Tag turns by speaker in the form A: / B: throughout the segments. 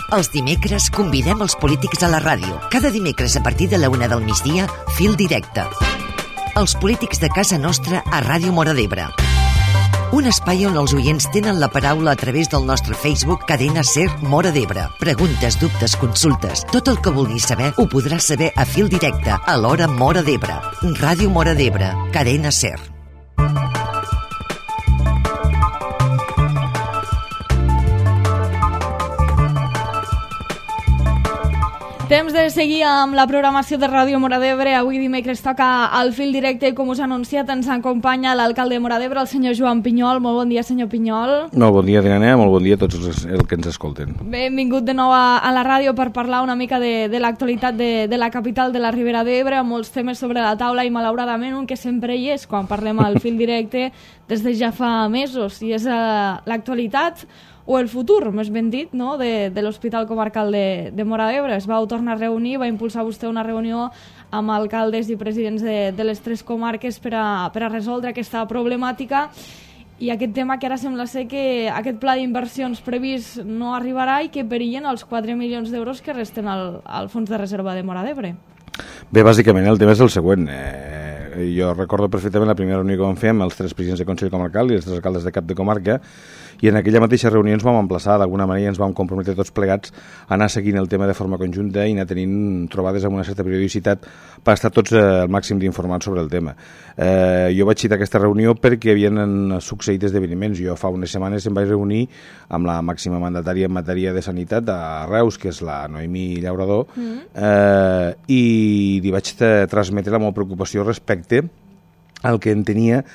A: Els dimecres convidem els polítics a la ràdio. Cada dimecres a partir de la 1 del migdia, Fil Directe. Els polítics de casa nostra a Ràdio Móra d'Ebre. Un espai on els oients tenen la paraula a través del nostre Facebook Cadena Ser Móra d'Ebre. Preguntes, dubtes, consultes, tot el que vulguis saber ho podràs saber a Fil Directe a l'hora Móra d'Ebre. Ràdio Móra d'Ebre, Cadena Ser.
B: Temps de seguir amb la programació de Ràdio Móra d'Ebre. Avui dimecres toca el Fil Directe i com us ha anunciat ens acompanya l'alcalde de Móra d'Ebre, el senyor Joan Pinyol. Molt bon dia, senyor Pinyol.
C: Molt bon dia, Diana, molt bon dia a tots els que ens escolten.
B: Benvingut de nou a la ràdio per parlar una mica de l'actualitat de la capital de la Ribera d'Ebre, amb molts temes sobre la taula i malauradament un que sempre hi és quan parlem al Fil Directe des de ja fa mesos, i és l'actualitat o el futur, més ben dit, no? de l'Hospital Comarcal de Móra d'Ebre. Es vau tornar a reunir, va impulsar vostè una reunió amb alcaldes i presidents de les 3 comarques per a resoldre aquesta problemàtica, i aquest tema que ara sembla ser que aquest pla d'inversions previst no arribarà i que perillen els 4 milions d'euros que resten al Fons de Reserva de Móra d'Ebre.
C: Bé, bàsicament el tema és el següent. Jo recordo perfectament la primera reunió que vam fer amb els 3 presidents de Consell Comarcal i els 3 alcaldes de cap de comarca, i en aquella mateixa reunió ens vam emplaçar, d'alguna manera ens vam comprometre tots plegats a anar seguint el tema de forma conjunta i anar tenint trobades amb una certa periodicitat per estar tots al màxim d'informats sobre el tema. Jo vaig citar aquesta reunió perquè havien succeït esdeveniments. Jo fa unes setmanes em vaig reunir amb la màxima mandatària en matèria de sanitat a Reus, que és la Noemí Llaurador, i li vaig transmetre la meva preocupació respecte al que entenia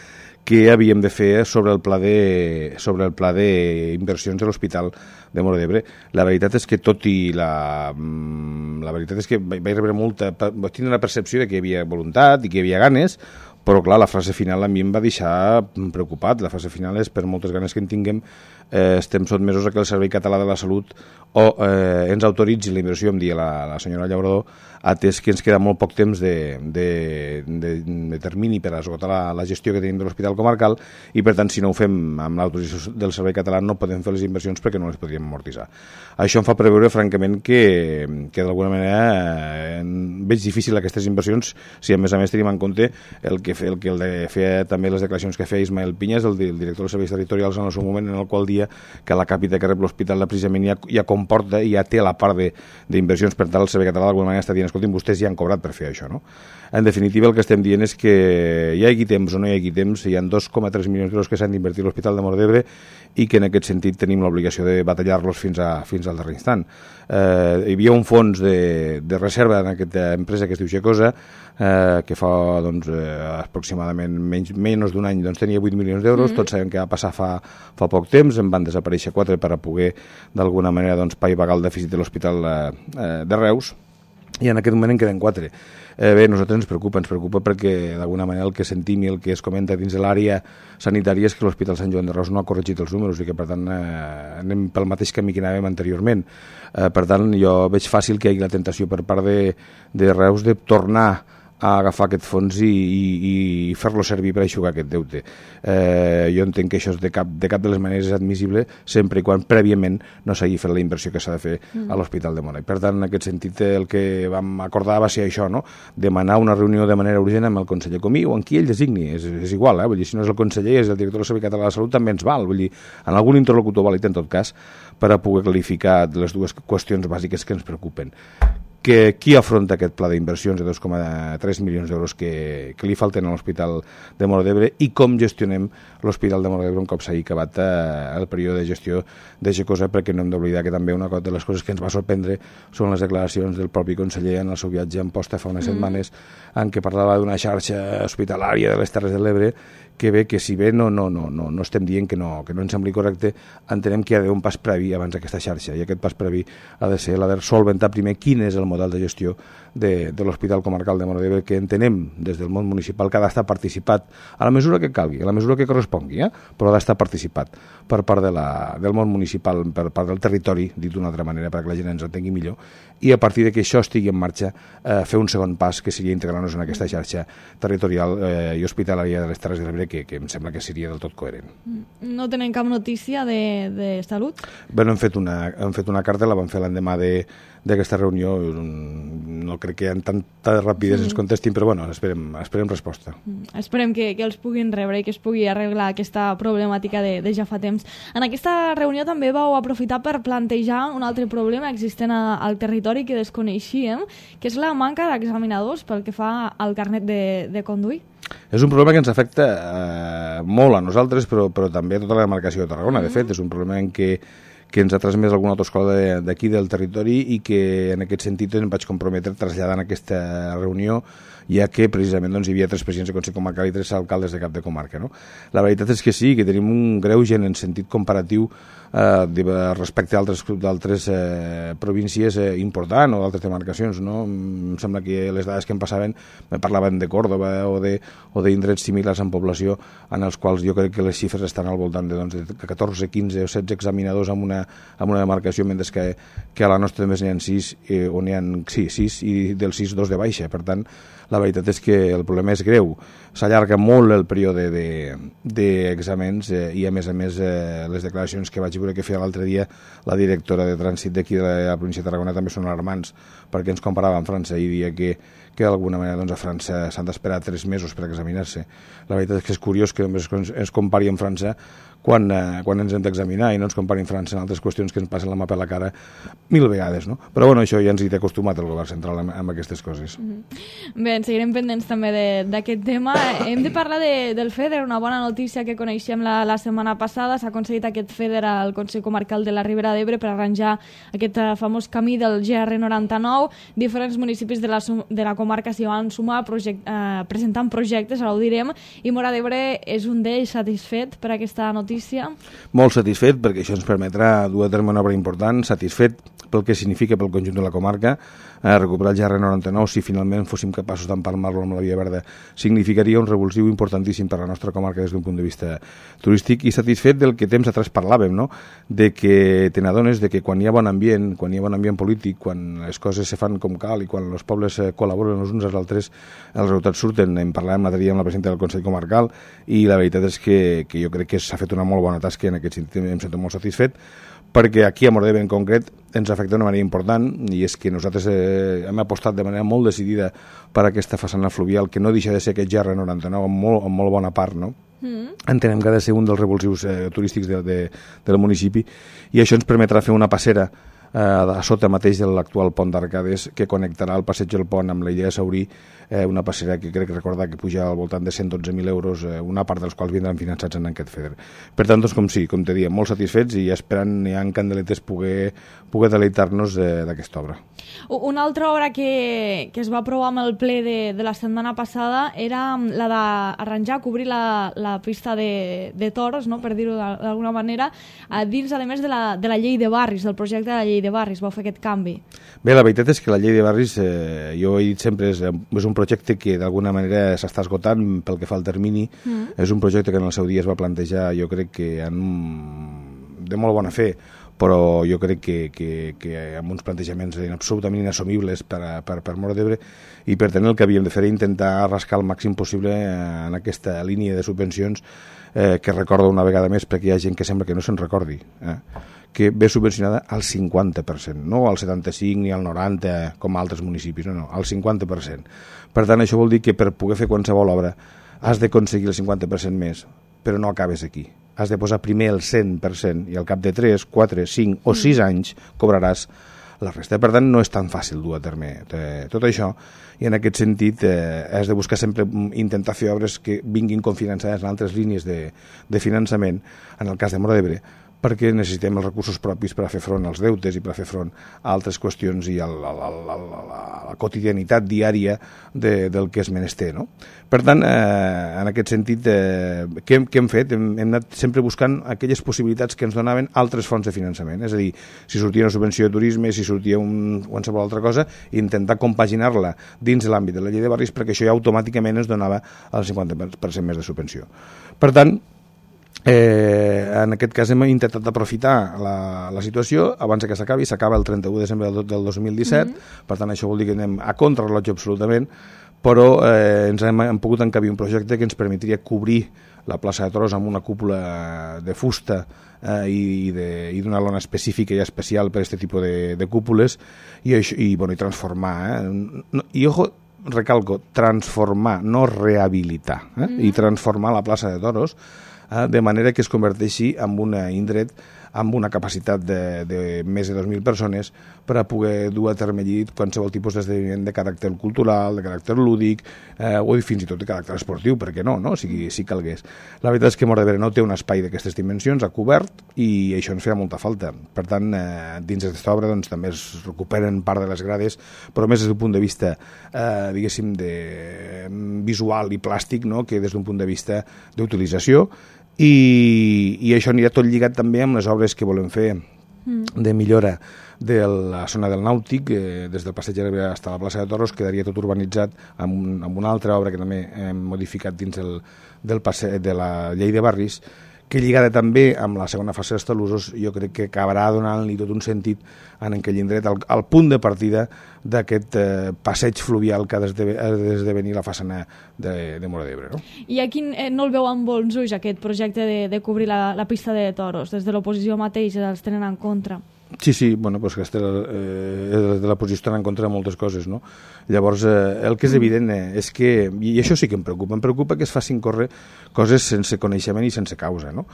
C: que havíem de fer sobre el pla d'inversions de l'Hospital de Móra d'Ebre. La veritat és que la veritat és que vaig rebre vaig tenir una percepció de que hi havia voluntat i que hi havia ganes, però clar, la frase final a mi em va deixar preocupat. La frase final és, per moltes ganes que en tinguem, estem sotmesos a que el Servei Català de la Salut ens autoritzi la inversió, em deia la senyora Llaurador, atès que ens queda molt poc temps de termini per esgotar la gestió que tenim de l'Hospital Comarcal, i per tant, si no ho fem amb l'autorització del Servei Català no podem fer les inversions perquè no les podríem amortitzar. Això em fa preveure, francament, que d'alguna manera veig difícil aquestes inversions si a més tenim en compte el que feia també les declaracions que feia Ismael Pinyes, el director dels serveis territorials, en el seu moment, en el qual dia que la càpita que rep l'hospital precisament ja comporta i ja té la part d'inversions. Per tant, el Servei Català d'alguna manera està dient, escolti'm, vostès ja han cobrat per fer això, no? En definitiva, el que estem dient és que hi hagi temps o no hi hagi temps, hi ha 2,3 milions d'euros que s'han d'invertir a l'Hospital de Móra d'Ebre i que en aquest sentit tenim l'obligació de batallar-los fins al darrer instant. Hi havia un fons de reserva en aquesta empresa que es diu Gecosa, que fa aproximadament menys d'un any tenia 8 milions d'euros. Tots sabem que va passar fa poc temps, en van desaparèixer 4 per a poder d'alguna manera paivagar el dèficit de l'Hospital de Reus, i en aquest moment en queden 4. Bé, a nosaltres ens preocupa perquè d'alguna manera el que sentim i el que es comenta dins de l'àrea sanitària és que l'Hospital Sant Joan de Reus no ha corregit els números i que per tant anem pel mateix camí que anàvem anteriorment. Per tant, jo veig fàcil que hi hagi la tentació per part de Reus de tornar a agafar aquest fons i fer-lo servir per aixugar aquest deute. Jo entenc que això de cap de les maneres és admissible sempre i quan prèviament no s'hagi fet la inversió que s'ha de fer a l'Hospital de Móra. I per tant, en aquest sentit, el que vam acordar va ser això, no? Demanar una reunió de manera urgent amb el conseller Comí o amb qui ell designi, és igual, vull dir, si no és el conseller, és el director del Servei Català de la Salut, també ens val, vull dir, en algun interlocutor vàlid en tot cas, per a poder clarificar les dues qüestions bàsiques que ens preocupen. Qui afronta aquest pla d'inversions de 2,3 milions d'euros que li falten a l'Hospital de Móra d'Ebre i com gestionem l'Hospital de Móra d'Ebre un cop s'hagi acabat el període de gestió de Gecosa, perquè no hem d'oblidar que també una de les coses que ens va sorprendre són les declaracions del propi conseller en el seu viatge a Amposta fa unes setmanes, en què parlava d'una xarxa hospitalària de les Terres de l'Ebre que bé, que si bé no estem dient que no ens sembli correcte, entenem que hi ha d'haver un pas previ abans d'aquesta xarxa, i aquest pas previ ha de ser la de solventar primer quin és el model de gestió de l'Hospital Comarcal de Móra d'Ebre, que entenem des del món municipal que ha d'estar participat a la mesura que calgui, a la mesura que correspongui, però ha d'estar participat per part del món municipal, per part del territori, dit d'una altra manera, perquè la gent ens entengui millor, i a partir de que això estigui en marxa, fer un segon pas, que seria integrar-nos en aquesta xarxa territorial i hospitalària de les Terres de l'Ebre, que em sembla que seria del tot coherent.
B: No tenen cap notícia de salut?
C: Bé, hem fet una carta, la vam fer l'endemà d'aquesta reunió. No crec que en tantes rapidesa ens contestin, però bueno, esperem resposta.
B: Esperem que els puguin rebre i que es pugui arreglar aquesta problemàtica de ja fa temps. En aquesta reunió també vau aprofitar per plantejar un altre problema existent al territori que desconeixíem, que és la manca d'examinadors pel que fa al carnet de conduir.
C: És un problema que ens afecta molt a nosaltres, però també a tota la demarcació de Tarragona. De fet, és un problema en què ens ha transmès alguna autoescola d'aquí del territori i que en aquest sentit em vaig comprometre traslladant aquesta reunió, ja que precisament hi havia 3 presidents de Consell Comarcal i 3 alcaldes de cap de comarca. La veritat és que sí, que tenim un greuge en sentit comparatiu respecte a d'altres províncies important o d'altres demarcacions. Em sembla que les dades que em passaven me parlaven de Còrdoba o d'indrets similars en població, en els quals jo crec que les xifres estan al voltant de 14, 15 o 16 examinadors en una demarcació, mentre que a la nostra només n'hi ha 6, on n'hi ha 6 i dels 6, 2 de baixa. Per tant, la veritat és que el problema és greu. S'allarga molt el període d'exàmens i, a més, les declaracions que vaig veure que feia l'altre dia la directora de trànsit d'aquí de la província de Tarragona també són alarmants, perquè ens comparava amb França i dia que d'alguna manera a França s'han d'esperar 3 mesos per examinar-se. La veritat és que és curiós que només ens compari amb França quan ens hem d'examinar i no ens compari amb França en altres qüestions que ens passen la mà per la cara 1000 vegades. Però bueno, això ja ens hi té acostumat el govern central amb aquestes coses.
B: Bé, en seguirem pendents també d'aquest tema. Hem de parlar del FEDER, una bona notícia que coneixem la setmana passada. S'ha aconseguit aquest FEDER al Consell Comarcal de la Ribera d'Ebre per arranjar aquest famós camí del GR99. Diferents municipis de la comarca s'hi van sumar presentant projectes, ara ho direm, i Móra d'Ebre és un d'ells. Satisfet per aquesta notícia?
C: Molt satisfet, perquè això ens permetrà dur a terme una obra important. Satisfet pel que significa pel conjunt de la comarca. Recuperar el GR99, si finalment fóssim capaços d'empalmar-lo amb la Via Verda, significaria un revulsiu importantíssim per a la nostra comarca des d'un punt de vista turístic, i satisfet del que temps atrás parlàvem, de que te n'adones de que quan hi ha bon ambient, polític, quan les coses se fan com cal i quan els pobles col·laboren els uns als altres, els resultats surten. En parlàvem l'altre dia amb la presidenta del Consell Comarcal i la veritat és que jo crec que s'ha fet una molt bona tasca, en aquest sentit em sento molt satisfet, perquè aquí a Móra d'Ebre en concret ens afecta d'una manera important, i és que nosaltres hem apostat de manera molt decidida per aquesta façana fluvial, que no deixa de ser aquest GR99 en molt bona part, Entenem que ha de ser un dels revulsius turístics del municipi, i això ens permetrà fer una passera a sota mateix de l'actual pont d'Arcades, que connectarà el passeig del pont amb l'illa de Saurí, una passera que crec recordar que puja al voltant de 112.000 euros, una part dels quals vindran finançats en aquest FEDER. Per tant, com te diem, molt satisfets i esperant en candeletes poder deleitar-nos d'aquesta obra.
B: Una altra obra que es va aprovar amb el ple de la setmana passada era la d'arranjar, cobrir la pista de toros, per dir-ho d'alguna manera, dins, a més, de la llei de barris, del projecte de la llei de barris. Vau fer aquest canvi?
C: Bé, la veritat és que la llei de barris, jo he dit sempre, és un projecte que d'alguna manera s'està esgotant pel que fa al termini. És un projecte que en el seu dia es va plantejar, jo crec que de molt bona fe, però jo crec que amb uns plantejaments absolutament inassumibles per Móra d'Ebre, i per tant el que havíem de fer era intentar rascar el màxim possible en aquesta línia de subvencions que recordo una vegada més, perquè hi ha gent que sembla que no se'n recordi, que ve subvencionada al 50%, no al 75% ni al 90% com altres municipis, no, al 50%. Per tant, això vol dir que per poder fer qualsevol obra has d'aconseguir el 50% més, però no acabes aquí. Has de posar primer el 100% i al cap de 3, 4, 5 o 6 anys cobraràs la resta. Per tant, no és tan fàcil dur a terme tot això, i en aquest sentit has de buscar sempre intentar fer obres que vinguin cofinançades en altres línies de finançament, en el cas de Móra d'Ebre, perquè necessitem els recursos propis per a fer front als deutes i per a fer front a altres qüestions i a la quotidianitat diària del que és menester, no? Per tant, en aquest sentit, què hem fet? Hem anat sempre buscant aquelles possibilitats que ens donaven altres fonts de finançament, és a dir, si sortia una subvenció de turisme, si sortia qualsevol altra cosa, intentar compaginar-la dins de l'àmbit de la llei de barris perquè això ja automàticament ens donava el 50% més de subvenció. Per tant, en aquest cas hem intentat aprofitar la situació abans que s'acabi, s'acaba el 31 de desembre del 2017, per tant això vol dir que anem a contrarrellotge absolutament, però ens hem pogut encabir un projecte que ens permetria cobrir la plaça de Toros amb una cúpula de fusta i d'una lona específica i especial per a aquest tipus de cúpules i transformar. I ojo, recalco, transformar, no rehabilitar, i transformar la plaça de Toros de manera que es converteixi en un indret amb una capacitat de més de 2.000 persones per a poder dur a terme allí qualsevol tipus d'esdeveniment de caràcter cultural, de caràcter lúdic o fins i tot de caràcter esportiu, perquè no, si calgués. La veritat és que Móra d'Ebre no té un espai d'aquestes dimensions, ha cobert, i això ens feia molta falta. Per tant, dins d'aquesta obra també es recuperen part de les grades, però més des d'un punt de vista, diguéssim, visual i plàstic, que des d'un punt de vista d'utilització, i això anirà tot lligat també amb les obres que volem fer de millora de la zona del Nàutic, des del passeig de l'Ebre fins a la plaça de Toros, quedaria tot urbanitzat amb una altra obra que també hem modificat dins de la llei de barris, que lligada també amb la segona fase dels talussos, jo crec que acabarà donant-li tot un sentit en aquell indret, al punt de partida d'aquest passeig fluvial que ha d'esdevenir la façana de Móra d'Ebre. No?
B: I aquí no el veu amb bons ulls, aquest projecte de cobrir la pista de toros? Des de l'oposició mateix els tenen en contra?
C: Sí, bueno, pues que de la posició estan en contra de moltes coses, no? Llavors, el que és evident és que, i això sí que em preocupa que es facin córrer coses sense coneixement i sense causa, no?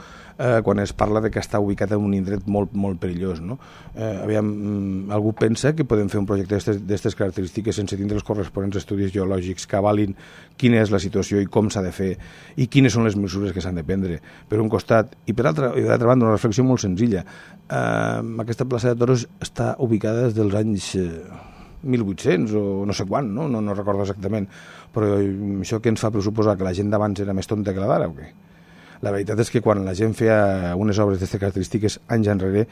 C: Quan es parla de que està ubicat en un indret molt, molt perillós, no? Algú pensa que podem fer un projecte d'aquestes característiques sense tindre els corresponents estudis geològics que avalin quina és la situació i com s'ha de fer i quines són les mesures que s'han de prendre, per un costat, i per d'altra banda una reflexió molt senzilla. Aquesta plaça de Toros està ubicada des dels anys 1800 o no sé quan, no recordo exactament, però això que ens fa pressuposar que la gent d'abans era més tonta que la d'ara o què? La veritat és que quan la gent feia unes obres d'aquestes característiques anys enrere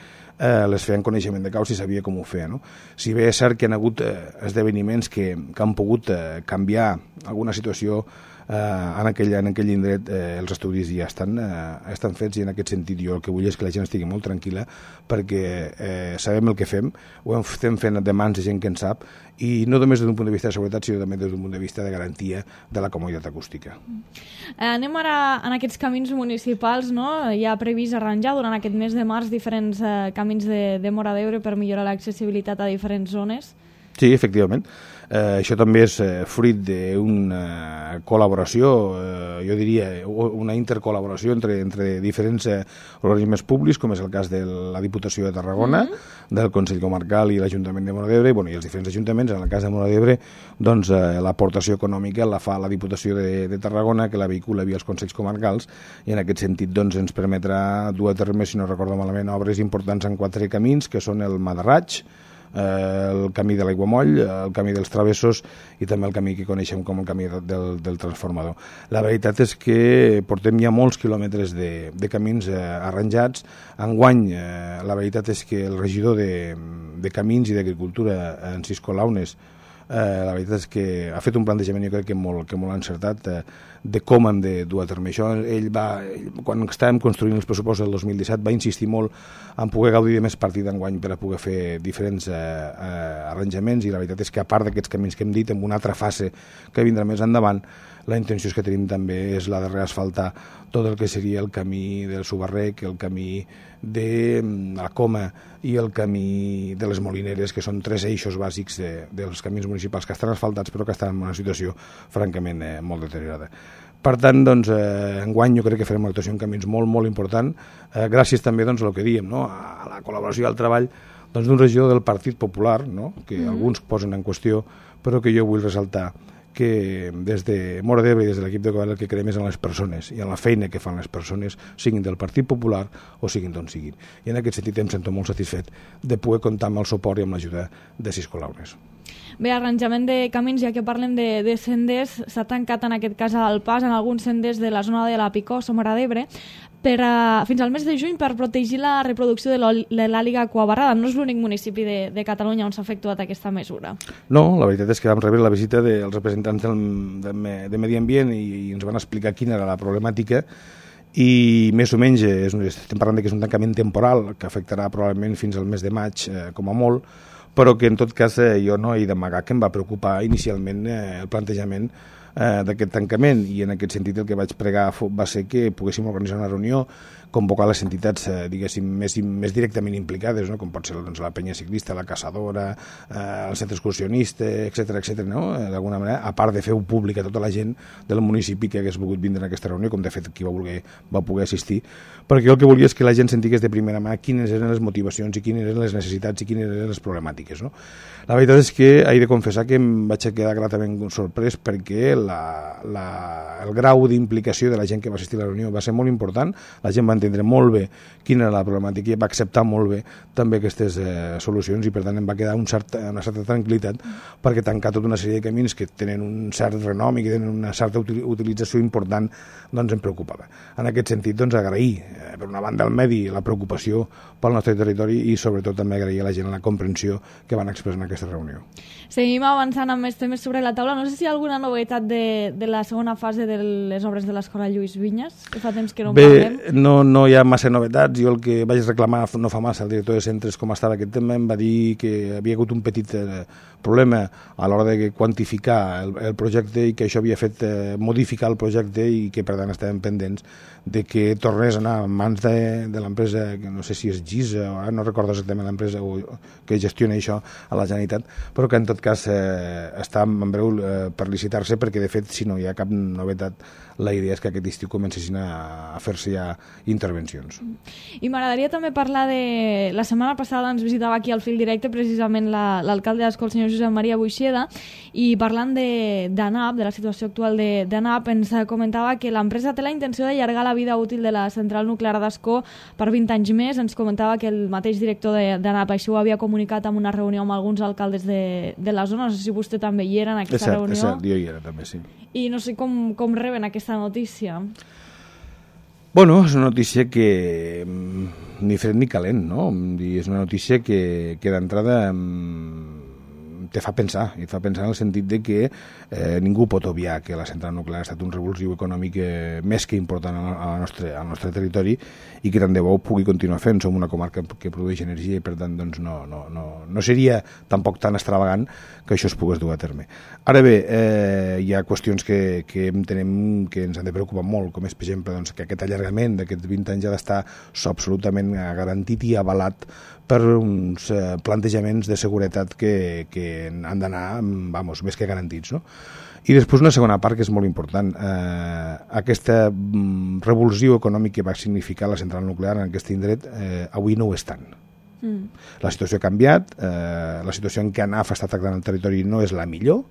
C: les feia en coneixement de causa i sabia com ho feia, no? Si bé és cert que hi ha hagut esdeveniments que han pogut canviar alguna situació en aquell indret, els estudis ja estan fets, i en aquest sentit jo el que vull és que la gent estigui molt tranquil·la perquè sabem el que fem, ho estem fent de mans de gent que en sap, i no només des d'un punt de vista de seguretat, sinó també des d'un punt de vista de garantia de la comoditat acústica.
B: Anem ara en aquests camins municipals, no? Hi ha previst arranjar durant aquest mes de març diferents camins de Móra d'Ebre per millorar l'accessibilitat a diferents zones?
C: Sí, efectivament. Això també és fruit d'una col·laboració, jo diria, una intercol·laboració entre diferents organismes públics, com és el cas de la Diputació de Tarragona, del Consell Comarcal i l'Ajuntament de Móra d'Ebre, i els diferents ajuntaments. En el cas de Móra d'Ebre, doncs, l'aportació econòmica la fa la Diputació de Tarragona, que la vehicula via els Consells Comarcals, i en aquest sentit doncs, ens permetrà dur a terme, si no recordo malament, obres importants en 4 camins, que són el Madarraig, el camí de l'Aiguamoll, el camí dels Travessos i també el camí que coneixem com el camí del Transformador. La veritat és que portem ja molts quilòmetres de camins arranjats. Enguany, la veritat és que el regidor de Camins i d'Agricultura, en Cisco Launes, la veritat és que ha fet un plantejament, jo crec que molt encertat, de com hem de dur a terme això. Quan estàvem construint els pressupostos del 2017, va insistir molt en poder gaudir de més partit d'enguany per a poder fer diferents arranjaments, i la veritat és que, a part d'aquests camins que hem dit, en una altra fase que vindrà més endavant, la intenció que tenim també és la de reasfaltar tot el que seria el camí del Subarrec, el camí de la Coma i el camí de les Molineres, que són 3 eixos bàsics dels camins municipals que estan asfaltats però que estan en una situació francament molt deteriorada. Per tant, doncs, enguany jo crec que farem una actuació en camins molt, molt important, gràcies també doncs, al que diem, no? A la col·laboració i al treball d'un regidor del Partit Popular, no? Que alguns posen en qüestió, però que jo vull ressaltar que des de Móra d'Ebre i des de l'equip de govern el que creiem és en les persones i en la feina que fan les persones, siguin del Partit Popular o siguin d'on siguin. I en aquest sentit em sento molt satisfet de poder comptar amb el suport i amb l'ajuda de Cisco Launes.
B: Bé, arranjament de camins, ja que parlem de senders, s'ha tancat en aquest cas el pas en alguns senders de la zona de la Picosa, Móra d'Ebre, fins al mes de juny per protegir la reproducció de l'àliga aquabarrada. No és l'únic municipi de Catalunya on s'ha efectuat aquesta mesura.
C: No, la veritat és que vam rebre la visita dels representants de Medi Ambient i ens van explicar quina era la problemàtica i més o menys estem parlant que és un tancament temporal que afectarà probablement fins al mes de maig com a molt, però que en tot cas jo no he d'amagar que em va preocupar inicialment el plantejament d'aquest tancament, i en aquest sentit el que vaig pregar va ser que poguéssim organitzar una reunió, convocar les entitats diguéssim més directament implicades, no? Com pot ser doncs, la penya ciclista, la caçadora, el centre excursionista, etc, no? D'alguna manera, a part de fer-ho públic a tota la gent del municipi que hagués volgut vindre a aquesta reunió, com de fet qui va poder assistir, perquè jo el que volia és que la gent sentigués de primera mà quines eren les motivacions i quines eren les necessitats i quines eren les problemàtiques, no? La veritat és que he de confessar que em vaig quedar gratament sorprès perquè el grau d'implicació de la gent que va assistir a la reunió va ser molt important, la gent va entendre molt bé quina era la problemàtica i va acceptar molt bé també aquestes solucions, i per tant em va quedar una certa tranquil·litat, perquè tancar tota una sèrie de camins que tenen un cert renom i que tenen una certa utilització important doncs em preocupava. En aquest sentit doncs agrair per una banda el medi, la preocupació pel nostre territori, i sobretot també agrair a la gent la comprensió que van expressar en aquesta reunió.
B: Seguim avançant amb més temes sobre la taula. No sé si hi ha alguna novetat de la segona fase de les obres de l'Escola Lluís Vinyes, que fa temps que no en parlem.
C: Bé, no hi ha massa novetats. Jo el que vaig reclamar no fa massa al director de centres com estava aquest tema, em va dir que havia hagut un petit problema a l'hora de quantificar el projecte i que això havia fet modificar el projecte i que per tant estàvem pendents de que tornés a anar en mans de l'empresa, que no sé si és GISA o ara no recordo exactament l'empresa que gestiona això a la Generalitat, però que en tot cas està en breu per licitar-se, perquè de fet si no hi ha cap novetat la idea és que aquest estiu comencessin a fer-se ja intervencions.
B: I m'agradaria també parlar de... La setmana passada ens visitava aquí al Fil Directe precisament l'alcalde d'Ascó, el senyor Josep Maria Buixeda, i parlant d'ANAP, de la situació actual d'ANAP, ens comentava que l'empresa té la intenció d'allargar la vida útil de la central nuclear d'Ascó per 20 anys més. Ens comentava que el mateix director d'ANAP això ho havia comunicat en una reunió amb alguns alcaldes de la zona. No sé si vostè també hi era en aquesta reunió.
C: És cert, jo hi era també, sí.
B: I no sé com reben aquesta notícia.
C: Bueno, és una notícia que ni fred ni calent, no? És una notícia que d'entrada te fa pensar, i et fa pensar en el sentit de que ningú pot obviar que la central nuclear ha estat un revulsiu econòmic més que important al nostre territori, i que tant de bo pugui continuar fent. Som una comarca que produeix energia i per tant doncs, no seria tampoc tan extravagant que això es pogués dur a terme. Ara bé, hi ha qüestions que entenem que ens han de preocupar molt, com és per exemple doncs, que aquest allargament d'aquests 20 anys ha d'estar absolutament garantit i avalat per uns plantejaments de seguretat que han d'anar més que garantits, no? I després una segona part que és molt important, aquesta revolució econòmica que va significar la central nuclear en aquest indret avui no ho és tant. La situació ha canviat, la situació en què ANAF està tractant el territori no és la millor,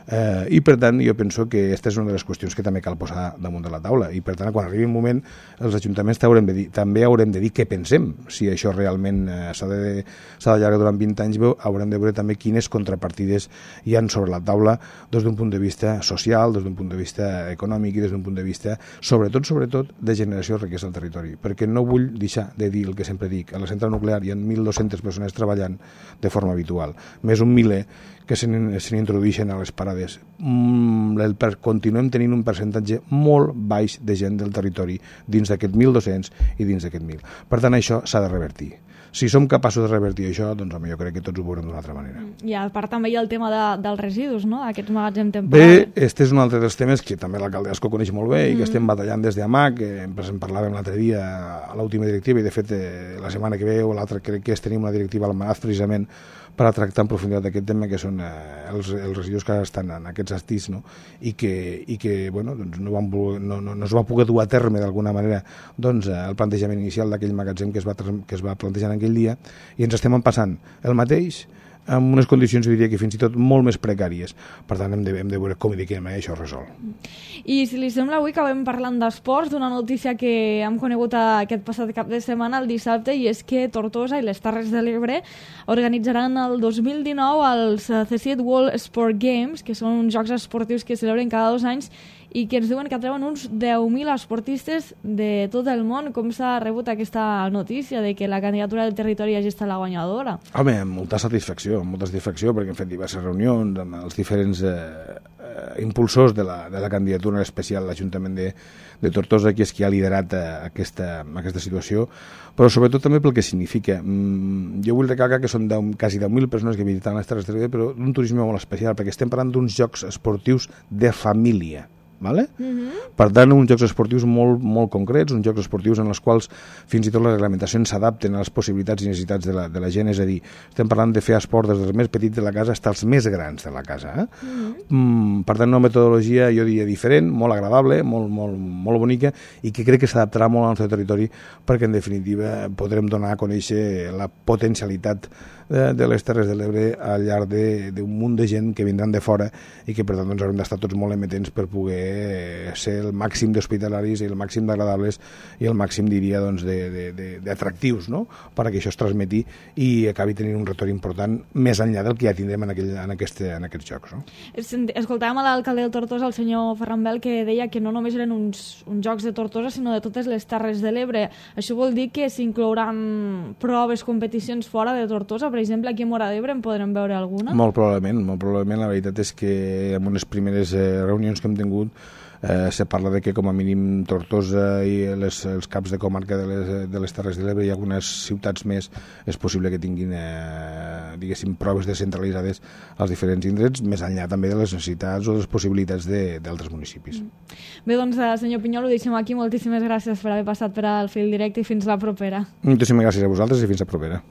C: i per tant jo penso que aquesta és una de les qüestions que també cal posar damunt de la taula, i per tant quan arribi un moment els ajuntaments també haurem de dir què pensem, si això realment s'ha d'allargar durant 20 anys. Haurem de veure també quines contrapartides hi han sobre la taula des d'un punt de vista social, des d'un punt de vista econòmic i des d'un punt de vista sobretot de generació de riquesa al territori, perquè no vull deixar de dir el que sempre dic: a la central nuclear hi ha 1.200 persones treballant de forma habitual, més un miler que se n'introdueixen a les parades. Continuem tenint un percentatge molt baix de gent del territori dins d'aquest 1.200 i dins d'aquest 1.000. Per tant, això s'ha de revertir. Si som capaços de revertir això, doncs home, jo crec que tots ho veurem d'una altra manera.
B: I a part també hi ha el tema dels residus, no? Aquests magatzems temporals.
C: Bé, este és un altre dels temes que també l'alcalde d'Ascó coneix molt bé i que estem batallant des d'AMAC, que en parlàvem l'altre dia a l'última directiva, i de fet la setmana que ve o l'altra crec que tenim una directiva al Manaz precisament per a tractar en profunditat aquest tema, que són els residus que estan en aquests estís, no? I que bueno, doncs no es va poder dur a terme d'alguna manera doncs, el plantejament inicial d'aquell magatzem que es va plantejar en aquell dia, i ens estem passant el mateix en unes condicions, diria que fins i tot molt més precàries. Per tant, hem de veure com i de quina manera això es resol.
B: I si li sembla, avui acabem parlant d'esports, d'una notícia que hem conegut aquest passat cap de setmana, el dissabte, i és que Tortosa i les Terres de l'Ebre organitzaran el 2019 els CSIT World Sport Games, que són uns jocs esportius que celebren cada 2 anys i que ens diuen que atreuen uns 10.000 esportistes de tot el món. Com s'ha rebut aquesta notícia de que la candidatura del territori hagi estat la guanyadora?
C: Home, amb molta satisfacció, perquè hem fet diverses reunions amb els diferents impulsors de la candidatura especial a l'Ajuntament de Tortosa, que és qui ha liderat aquesta situació, però sobretot també pel que significa. Jo vull recalcar que són quasi 10.000 persones que visiten les Terres de l'Ebre, però d'un turisme molt especial, perquè estem parlant d'uns jocs esportius de família. Vale? Per tant, uns jocs esportius molt, molt concrets, uns jocs esportius en els quals fins i tot les reglamentacions s'adapten a les possibilitats i necessitats de la gent, és a dir, estem parlant de fer esport des dels més petits de la casa fins als més grans de la casa. Per tant, una metodologia, jo diria, diferent, molt agradable, molt bonica, i que crec que s'adaptarà molt al nostre territori, perquè en definitiva podrem donar a conèixer la potencialitat de les Terres de l'Ebre al llarg d'un munt de gent que vindran de fora i que per tant haurem d'estar tots molt emetents per poder ser el màxim d'hospitalaris i el màxim d'agradables i el màxim, diria, d'atractius, no? Perquè això es transmeti i acabi tenint un retorn important més enllà del que ja tindrem en aquests jocs. No?
B: Escoltàvem a l'alcalde de Tortosa, el senyor Ferran Bel, que deia que no només eren uns jocs de Tortosa, sinó de totes les Terres de l'Ebre. Això vol dir que s'inclouran proves, competicions fora de Tortosa? Per exemple, aquí a Móra d'Ebre en podrem veure alguna? Molt
C: probablement. La veritat és que en unes primeres reunions que hem tingut se parla de que com a mínim Tortosa i els caps de comarca de les Terres de l'Ebre i algunes ciutats més és possible que tinguin diguéssim proves descentralitzades als diferents indrets, més enllà també de les necessitats o de les possibilitats d'altres municipis.
B: Bé, doncs, senyor Pinyol, ho deixem aquí. Moltíssimes gràcies per haver passat per al Fil Directe i fins la propera.
C: Moltíssimes gràcies a vosaltres i fins la propera.